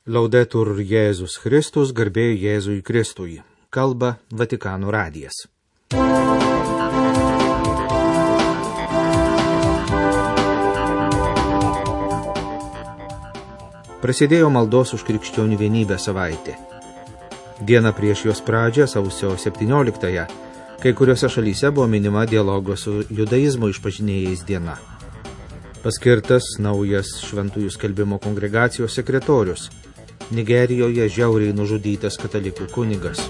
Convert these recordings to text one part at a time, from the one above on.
Laudetur Jėzus Kristus, garbė Jėzui Kristui. Kalba Vatikano radijas. Prasidėjo maldos už krikščionių vienybę savaitė. Diena prieš jos pradžią, sausio 17-ąją, kai kuriuose šalyse buvo minima dialogo su judaizmo išpažinėjais diena. Paskirtas naujas šventųjų skelbimo kongregacijos sekretorius. Nigerijoje žiauriai nužudytas katalikų kunigas.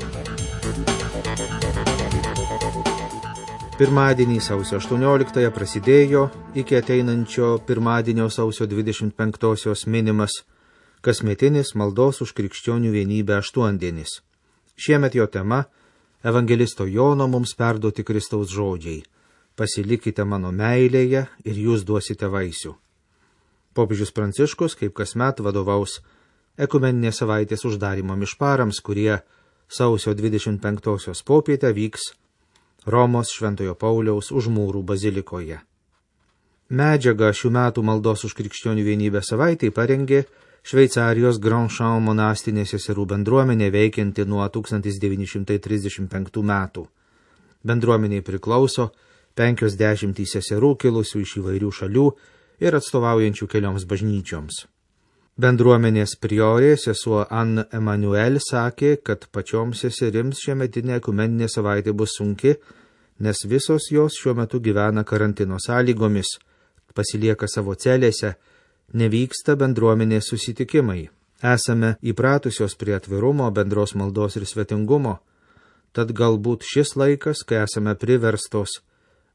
Pirmadienį sausio 18-ąją prasidėjo iki ateinančio pirmadienio sausio 25-osios minimas kasmetinis maldos už krikščionių vienybę aštuondienis. Šiemet jo tema – evangelisto Jono mums perduoti Kristaus žodžiai. Pasilikite mano meilėje ir jūs duosite vaisių. Popiežius Pranciškus, kaip kasmet, vadovaus ekumeninės savaitės uždarymo mišparams, kurie sausio 25-osios popietę vyks Romos Šventojo Pauliaus Užmūrų bazilikoje. Medžiagą šių metų maldos už krikščionių vienybę savaitei parengė Šveicarijos Grandchamp monastinė seserų bendruomenė veikianti nuo 1935 metų. Bendruomeniai priklauso 50 seserų kilusių iš įvairių šalių ir atstovaujančių kelioms bažnyčioms. Bendruomenės priorė sesuo Anne Emmanuel sakė, kad pačioms seserims šiemetinė ekumeninė savaitė bus sunki, nes visos jos šiuo metu gyvena karantino sąlygomis, pasilieka savo celėse, nevyksta bendruomenės susitikimai. Esame įpratusios prie atvirumo, bendros maldos ir svetingumo, tad galbūt šis laikas, kai esame priverstos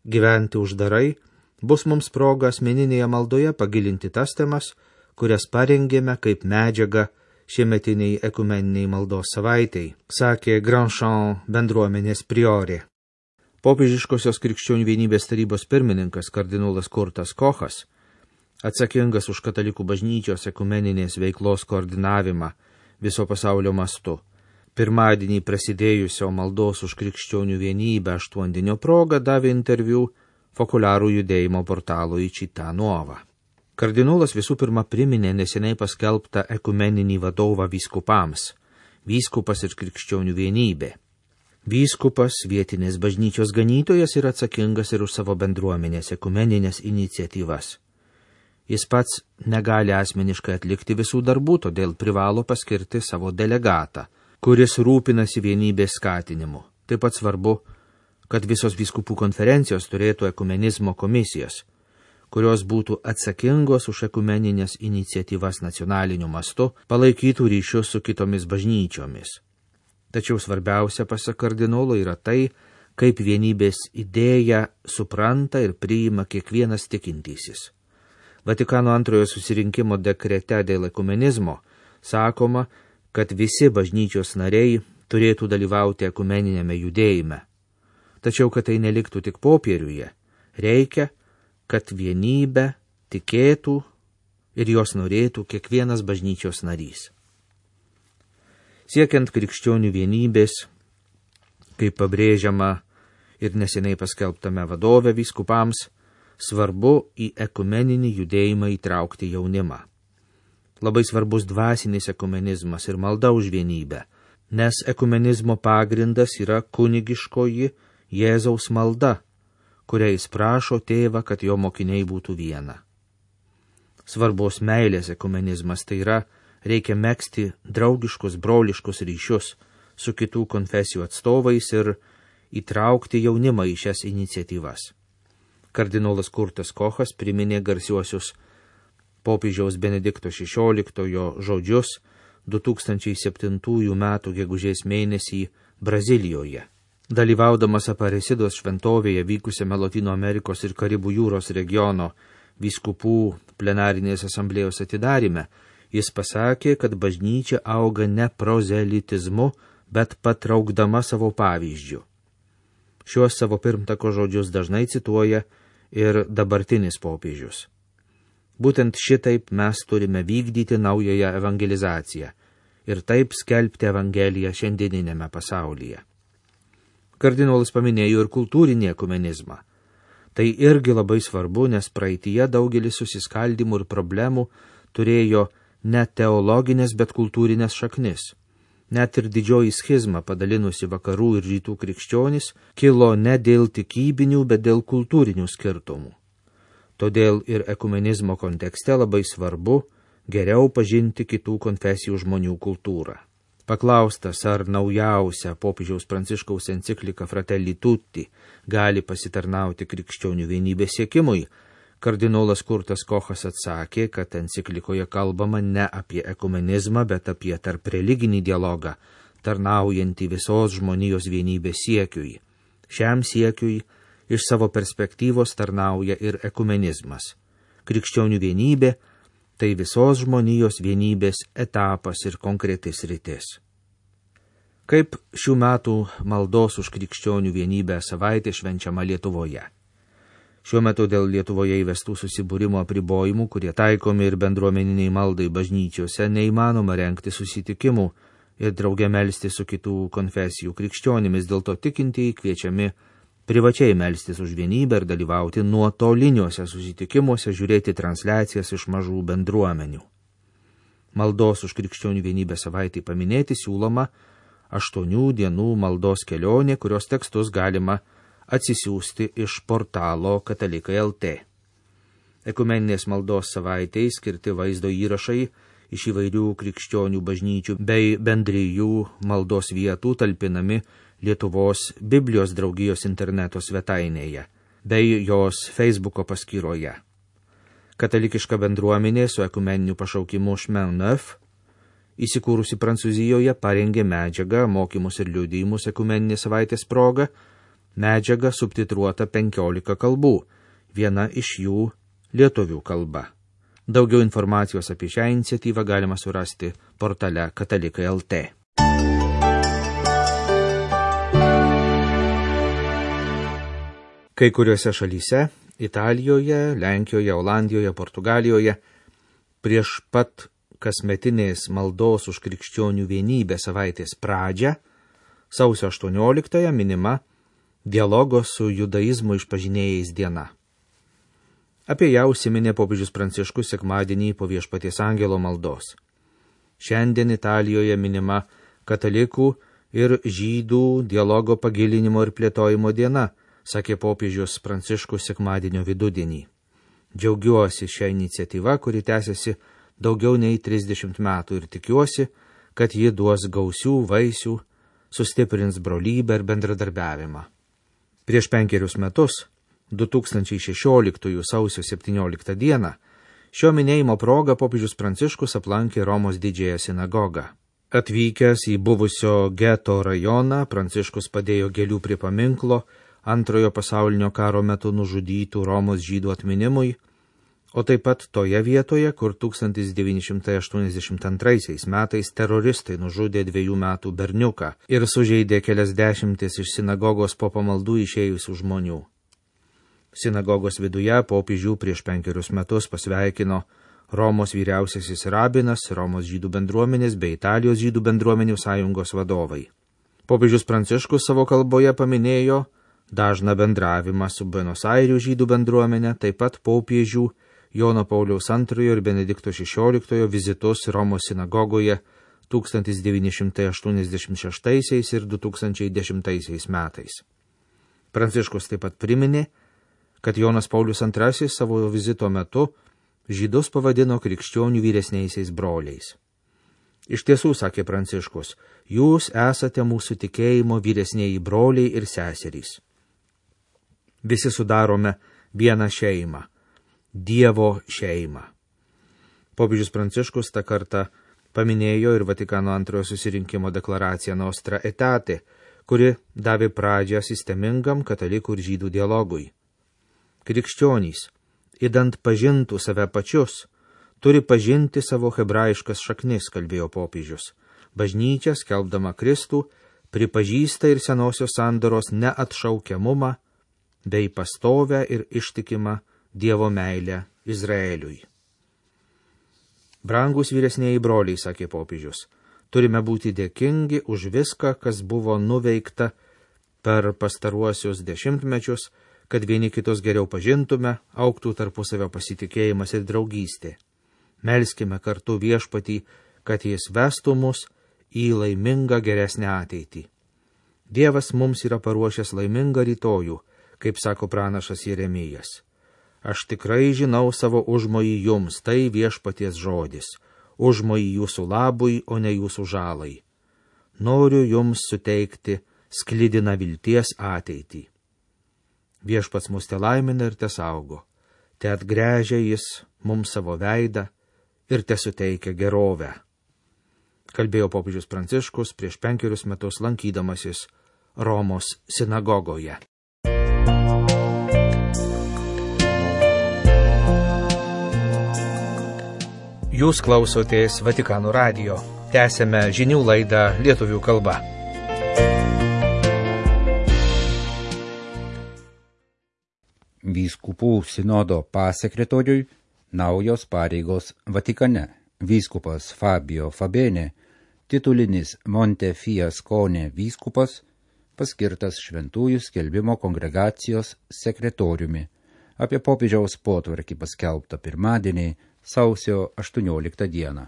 gyventi uždarai, bus mums proga asmeninėje maldoje pagilinti tas temas, kurias parengėme kaip medžiagą šiemetiniai ekumeniniai maldos savaitei, sakė Grandchamp bendruomenės priorė. Popiežiškosios krikščionių vienybės tarybos pirmininkas kardinolas Kurtas Kochas, atsakingas už katalikų bažnyčios ekumeninės veiklos koordinavimą viso pasaulio mastu, pirmadienį prasidėjusio maldos už krikščionių vienybę aštuondienio proga davė interviu Fokularų judėjimo portalui Città Nuova. Kardinolas visų pirma priminė neseniai paskelbtą ekumeninį vadovą vyskupams – vyskupas ir krikščionių vienybė. Vyskupas, vietinės bažnyčios ganytojas, yra atsakingas ir už savo bendruomenės ekumeninės iniciatyvas. Jis pats negali asmeniškai atlikti visų darbų, todėl privalo paskirti savo delegatą, kuris rūpinasi vienybės skatinimu. Taip pat svarbu, kad visos vyskupų konferencijos turėtų ekumenizmo komisijas, kurios būtų atsakingos už ekumeninės iniciatyvas nacionaliniu mastu, palaikytų ryšius su kitomis bažnyčiomis. Tačiau svarbiausia, pasak kardinolo, yra tai, kaip vienybės idėją supranta ir priima kiekvienas tikintysis. Vatikano antrojo susirinkimo dekrete dėl ekumenizmo sakoma, kad visi bažnyčios nariai turėtų dalyvauti ekumeninėme judėjime. Tačiau, kad tai neliktų tik popieriuje, reikia, kad vienybę tikėtų ir jos norėtų kiekvienas bažnyčios narys. Siekiant krikščionių vienybės, kaip pabrėžiama ir neseniai paskelbtame vadove vyskupams, svarbu į ekumeninį judėjimą įtraukti jaunimą. Labai svarbus dvasinis ekumenizmas ir malda už vienybę, nes ekumenizmo pagrindas yra kunigiškoji Jėzaus malda, kuria jis prašo tėvą, kad jo mokiniai būtų viena. Svarbos meilės ekumenizmas, tai yra, reikia megzti draugiškus, broliškus ryšius su kitų konfesijų atstovais ir įtraukti jaunimą į šias iniciatyvas. Kardinolas Kurtas Kochas priminė garsiuosius popiežiaus Benedikto XVI žodžius 2007 metų gegužės mėnesį Brazilijoje. Dalyvaudamas Aparecidos šventovėje vykusiame Lotynų Amerikos ir Karibų jūros regiono vyskupų plenarinės asamblėjos atidaryme, jis pasakė, kad bažnyčia auga ne prozelitizmu, bet patraukdama savo pavyzdžiu. Šiuos savo pirmtako žodžius dažnai cituoja ir dabartinis popiežius. Būtent šitaip mes turime vykdyti naująją evangelizaciją ir taip skelbti evangeliją šiandieninėme pasaulyje. Kardinolas paminėjo ir kultūrinį ekumenizmą. Tai irgi labai svarbu, nes praeityje daugelis susiskaldimų ir problemų turėjo ne teologinės, bet kultūrinės šaknis. Net ir didžioji schizma, padalinusi vakarų ir rytų krikščionis, kilo ne dėl tikybinių, bet dėl kultūrinių skirtumų. Todėl ir ekumenizmo kontekste labai svarbu geriau pažinti kitų konfesijų žmonių kultūrą. Paklaustas, ar naujausia popiežiaus Pranciškaus enciklika Fratelli Tutti gali pasitarnauti krikščionių vienybės siekimui, kardinolas Kurtas Kochas atsakė, kad enciklikoje kalbama ne apie ekumenizmą, bet apie tarp religinį dialogą, tarnaujantį visos žmonijos vienybės siekiui. Šiam siekiui iš savo perspektyvos tarnauja ir ekumenizmas. Krikščionių vienybė – tai visos žmonijos vienybės etapas ir konkretis sritis. Kaip šių metų maldos už krikščionių vienybę savaitė švenčiama Lietuvoje? Šiuo metu dėl Lietuvoje įvestų susibūrimo apribojimų, kurie taikomi ir bendruomeniniai maldai bažnyčiose, neįmanoma rengti susitikimų ir drauge melsti su kitų konfesijų krikščionimis, dėl to tikintieji kviečiami privačiai melstis už vienybę ir dalyvauti nuotoliniuose susitikimuose, žiūrėti transliacijas iš mažų bendruomenių. Maldos už krikščionių vienybę savaitį paminėti siūloma 8 dienų maldos kelionė, kurios tekstus galima atsisiųsti iš portalo Katalikai LT. Ekumeninės maldos savaitei skirti vaizdo įrašai iš įvairių krikščionių bažnyčių bei bendrijų maldos vietų talpinami Lietuvos Biblijos draugijos interneto svetainėje bei jos Facebooko paskyroje. Katalikiška bendruomenė su ekumeniniu pašaukimu Chemin Neuf, įsikūrusi Prancūzijoje, parengė medžiagą, mokymus ir liudijimus ekumeninės savaitės proga, medžiaga subtitruota 15 kalbų, viena iš jų lietuvių kalba. Daugiau informacijos apie šią iniciatyvą galima surasti portale Katalikai LT. Kai kuriuose šalyse – Italijoje, Lenkijoje, Olandijoje, Portugalijoje – prieš pat kasmetinės maldos už krikščionių vienybę savaitės pradžią, sausio 18 minima dialogo su judaizmu išpažinėjais diena. Apie ją užsiminė popiežius Pranciškus sekmadienį po Viešpaties angelo maldos. Šiandien Italijoje minima katalikų ir žydų dialogo pagilinimo ir plėtojimo diena, sakė popiežius Pranciškus sekmadienio vidudienį. Džiaugiuosi šią iniciatyvą, kuri tęsiasi daugiau nei 30 metų ir tikiuosi, kad ji duos gausių vaisių, sustiprins brolybę ir bendradarbiavimą. Prieš 5 metus, 2016 sausio 17 dieną, šio minėjimo proga popiežius Pranciškus aplankė Romos didžiąją sinagogą. Atvykęs į buvusio geto rajoną, Pranciškus padėjo gėlių prie paminklo Antrojo pasaulinio karo metu nužudytų Romos žydų atminimui, o taip pat toje vietoje, kur 1982 metais teroristai nužudė 2 metų berniuką ir sužeidė kelias dešimtis iš sinagogos po pamaldų išėjusių žmonių. Sinagogos viduje popiežių prieš 5 metus pasveikino Romos vyriausiasis rabinas, Romos žydų bendruomenės bei Italijos žydų bendruomenių sąjungos vadovai. Popiežius Pranciškus savo kalboje paminėjo dažną bendravimą su Buenos Airių žydų bendruomenė, taip pat popiežių Jono Pauliaus II ir Benedikto XVI vizitus Romos sinagogoje 1986 ir 2010 metais. Pranciškus taip pat priminė, kad Jonas Paulius II savo vizito metu žydus pavadino krikščionių vyresniaisiais broliais. Iš tiesų, sakė Pranciškus, jūs esate mūsų tikėjimo vyresnieji broliai ir seserys. Visi sudarome vieną šeimą, Dievo šeimą. Popiežius Pranciškus tą kartą paminėjo ir Vatikano antrojo susirinkimo deklaraciją Nostra Aetate, kuri davė pradžią sistemingam katalikų ir žydų dialogui. Krikščionys, idant pažintų save pačius, turi pažinti savo hebrajiškas šaknis, kalbėjo popiežius. Bažnyčia, skelbdama Kristų, pripažįsta ir senosios sandoros neatšaukiamumą bei pastovę ir ištikimą Dievo meilę Izraeliui. Brangus vyresnieji broliai, sakė popiežius, turime būti dėkingi už viską, kas buvo nuveikta per pastaruosius dešimtmečius, kad vieni kitus geriau pažintume, augtų tarpusavio pasitikėjimas ir draugystė. Melskime kartu Viešpatį, kad jis vestų mus į laimingą geresnę ateitį. Dievas mums yra paruošęs laimingą rytojų, kaip sako pranašas Jeremijas. Aš tikrai žinau savo užmojį jums, tai Viešpaties žodis, užmojį jūsų labui, o ne jūsų žalai. Noriu jums suteikti sklidiną vilties ateitį. Viešpats mus te laimina ir te saugo, te atgręžia jis mums savo veidą ir te suteikia gerovę. Kalbėjo popiežius Pranciškus prieš 5 metus lankydamasis Romos sinagogoje. Jūs klausotės Vatikano radijo. Tęsėme žinių laidą lietuvių kalba. Vyskupų sinodo pasekretoriui naujos pareigos Vatikane. Vyskupas Fabio Fabene, titulinis Montefiascone vyskupas, paskirtas Šventųjų skelbimo kongregacijos sekretoriumi. Apie popiežiaus potvarkį paskelbta pirmadienį, sausio 18 dieną.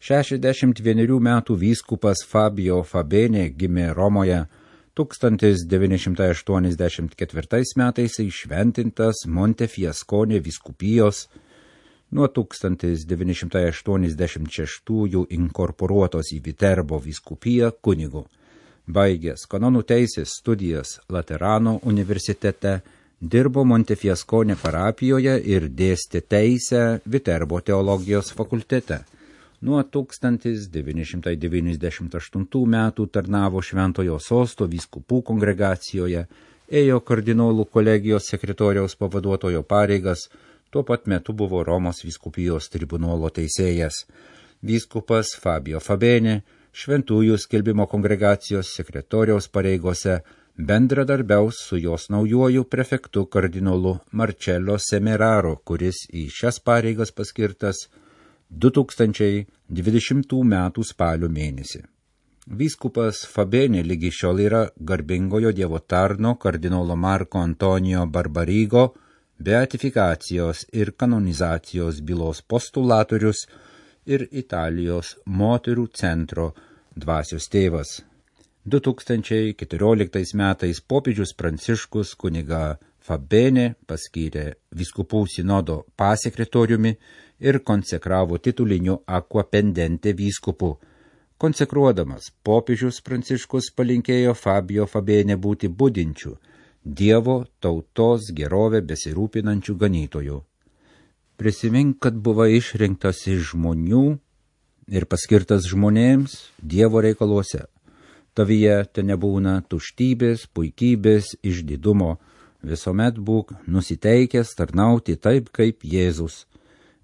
61 metų vyskupas Fabio Fabene gimė Romoje 1984 metais įšventintas Montefiascone vyskupijos, nuo 1986 inkorporuotos į Viterbo vyskupiją kunigu. Baigęs kanonų teisės studijas Laterano universitete, dirbo Montefiascone parapijoje ir dėstė teisę Viterbo teologijos fakultete. Nuo 1998 metų tarnavo Šventojo Sosto vyskupų kongregacijoje, ėjo kardinolų kolegijos sekretoriaus pavaduotojo pareigas, tuo pat metu buvo Romos vyskupijos tribunolo teisėjas. Vyskupas Fabio Fabene Šventųjų skelbimo kongregacijos sekretoriaus pareigose bendradarbiaus su jos naujuoju prefektu kardinolu Marcello Semeraro, kuris į šias pareigas paskirtas 2020 metų spalio mėnesį. Vyskupas Fabene lygi šiol yra garbingojo Dievo tarno kardinolo Marko Antonijo Barbarigo beatifikacijos ir kanonizacijos bylos postulatorius ir Italijos moterų centro dvasios tėvas. 2014 metais popiežius Pranciškus kunigą Fabene paskyrė vyskupų sinodo pasekretoriumi ir konsekravo tituliniu aquapendente vyskupu. Konsekruodamas, popiežius Pranciškus palinkėjo Fabio Fabene būti budinčiu, Dievo tautos gerovę besirūpinančių ganytojų. Prisimink, kad buvai išrinktas iš žmonių ir paskirtas žmonėms Dievo reikaluose. Tavyje te nebūna tuštybės, puikybės, išdidumo, visuomet būk nusiteikęs tarnauti taip kaip Jėzus.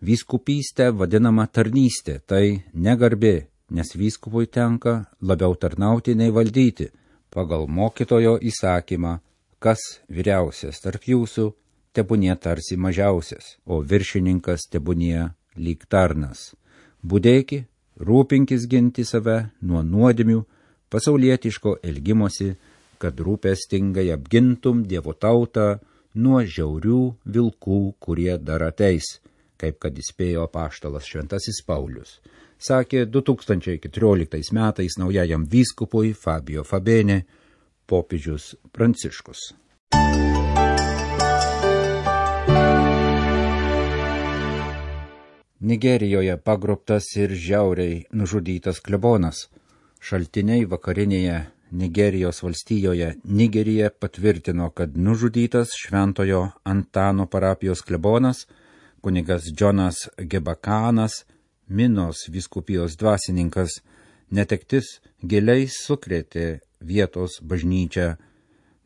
Vyskupystė vadinama tarnystė, tai negarbė, nes vyskupui tenka labiau tarnauti nei valdyti, pagal mokytojo įsakymą, kas vyriausias tarp jūsų, tebūnie tarsi mažiausias, o viršininkas tebūnie lyg tarnas. Budėki, rūpinkis ginti save nuo nuodėmių, pasaulietiško elgimosi, kad rūpestingai apgintum Dievo tautą nuo žiaurių vilkų, kurie dar ateis, kaip kad įspėjo apaštalas Šventasis Paulius. Sakė 2014 metais naujajam vyskupui Fabio Fabene popiežius Pranciškus. Nigerijoje pagrobtas ir žiauriai nužudytas klebonas. Šaltiniai vakarinėje Nigerijos valstijoje Nigerija patvirtino, kad nužudytas Šventojo Antano parapijos klebonas, kunigas Džonas Gebakanas, Minos vyskupijos dvasininkas, netektis giliai sukrėtė vietos bažnyčią.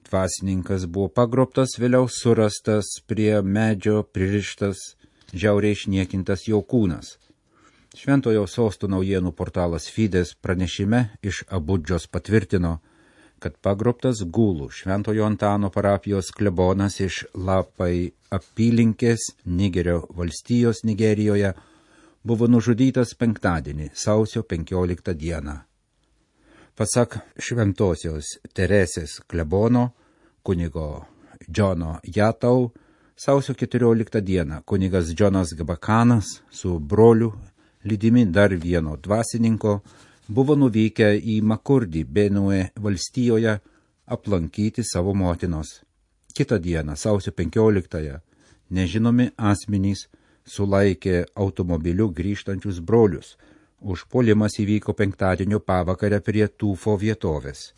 Dvasininkas buvo pagrobtas, vėliau surastas prie medžio pririštas, žiauriai išniekintas jo kūnas. Šventojo Sosto naujienų portalas Fides pranešime iš Abudžos patvirtino, kad pagrobtas Gulų Šventojo Antano parapijos klebonas iš Lapai apylinkės Nigerio valstijos Nigerijoje buvo nužudytas penktadienį, sausio 15 dieną. Pasak Šventosios Teresės klebono, kunigo Džono Jatau, Sausio 14 dieną kunigas Džonas Gabakanas su broliu, lydimi dar vieno dvasininko, buvo nuvykę į Makurdį Benue valstijoje aplankyti savo motinos. Kitą dieną, sausio 15, nežinomi asmenys sulaikė automobiliu grįžtančius brolius. Užpuolimas įvyko penktadienio pavakarę prie Tūfo vietovės.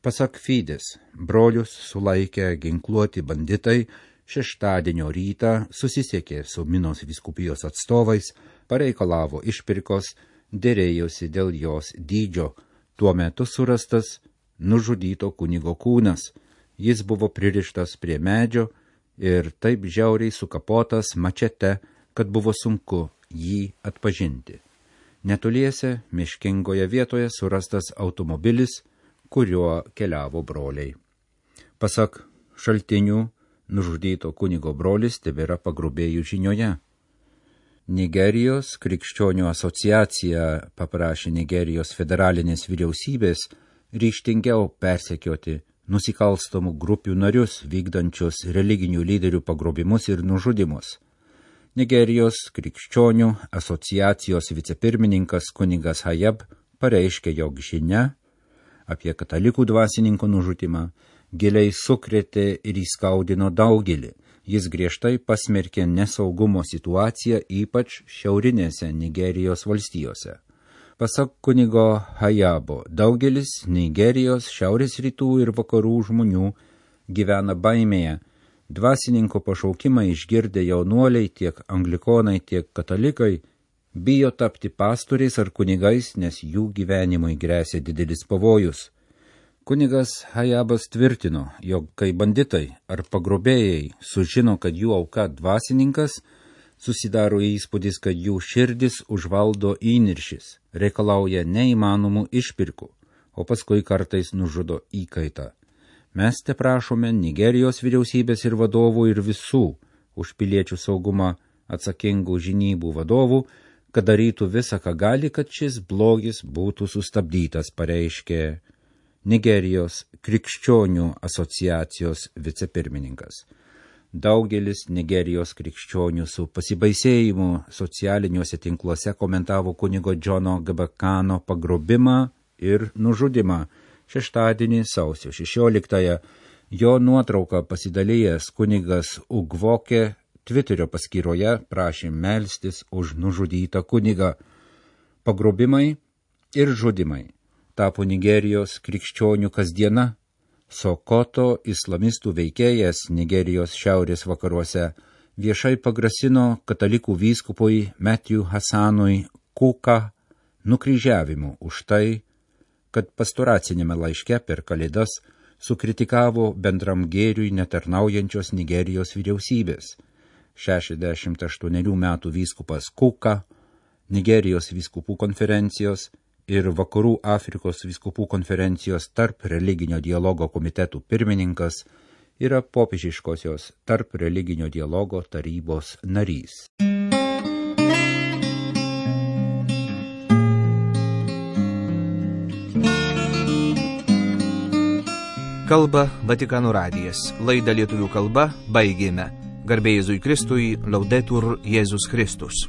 Pasak Fides, brolius sulaikę ginkluoti banditai šeštadienio rytą susisiekė su Minos vyskupijos atstovais, pareikalavo išpirkos, dėrėjosi dėl jos dydžio. Tuo metu surastas nužudyto kunigo kūnas. Jis buvo pririštas prie medžio ir taip žiauriai sukapotas mačete, kad buvo sunku jį atpažinti. Netoliese miškingoje vietoje surastas automobilis, kuriuo keliavo broliai. Pasak šaltinių, nužudyto kunigo brolis tebėra pagrobėjų žinioje. Nigerijos krikščionių asociacija paprašė Nigerijos federalinės vyriausybės ryžtingiau persekioti nusikalstamų grupių narius vykdančius religinių lyderių pagrobimus ir nužudimus. Nigerijos krikščionių asociacijos vicepirmininkas kunigas Hayab pareiškė, jog žinia apie katalikų dvasininko nužudimą giliai sukrėtė ir įskaudino daugelį. Jis griežtai pasmerkė nesaugumo situaciją, ypač šiaurinėse Nigerijos valstijose. Pasak kunigo Hayabo, daugelis Nigerijos šiaurės rytų ir vakarų žmonių gyvena baimėje. Dvasininko pašaukimą išgirdę jaunuoliai, tiek anglikonai, tiek katalikai, bijo tapti pastoriais ar kunigais, nes jų gyvenimui gresia didelis pavojus. Kunigas Hayabas tvirtino, jog kai banditai ar pagrobėjai sužino, kad jų auka dvasininkas, susidaro įspūdis, kad jų širdis užvaldo įniršis, reikalauja neįmanomų išpirkų, o paskui kartais nužudo įkaitą. Mes te prašome Nigerijos vyriausybės ir vadovų ir visų už piliečių saugumą atsakingų žinybų vadovų, kad darytų visą, ką gali, kad šis blogis būtų sustabdytas, pareiškė Nigerijos krikščionių asociacijos vicepirmininkas. Daugelis Nigerijos krikščionių su pasibaisėjimu socialiniuose tinkluose komentavo kunigo Džono Gabakano pagrobimą ir nužudimą. Šeštadienį, sausio 16, jo nuotrauką pasidalijęs kunigas Ugvokė Twitterio paskyroje prašė melstis už nužudytą kunigą. Pagrobimai ir žudimai tapo Nigerijos krikščionių kasdiena. Sokoto islamistų veikėjas Nigerijos šiaurės vakaruose viešai pagrasino katalikų vyskupui Matthew Hassanui Kuka nukryžiavimu už tai, kad pastoracinėme laiške per Kalėdas sukritikavo bendram gėriui netarnaujančios Nigerijos vyriausybės. 68 metų vyskupas Kuka, Nigerijos vyskupų konferencijos ir Vakarų Afrikos vyskupų konferencijos tarp religinio dialogo komitetų pirmininkas, yra popiežiškosios tarp religinio dialogo tarybos narys. Kalba Vatikano radijas. Laidą lietuvių kalba baigėme. Garbė Jėzui Kristui, Laudetur Jėzus Kristus.